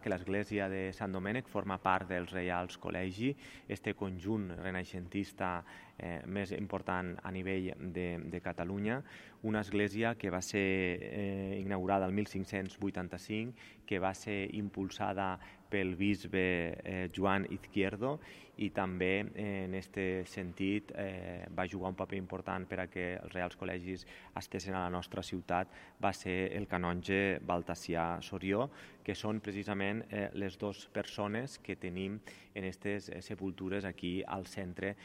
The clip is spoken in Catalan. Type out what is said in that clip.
que l'església de Sant Domènec forma part dels Reials Col·legi, este conjunt renaixentista més important a nivell de Catalunya, una església que va ser inaugurada el 1585, que va ser impulsada pel bisbe Joan Izquierdo i també en aquest sentit va jugar un paper important per a que els Reials Col·legis estessin a la nostra ciutat, va ser el canonge Baltasià Sorió, que són precisament les dues persones que tenim en aquestes sepultures aquí al centre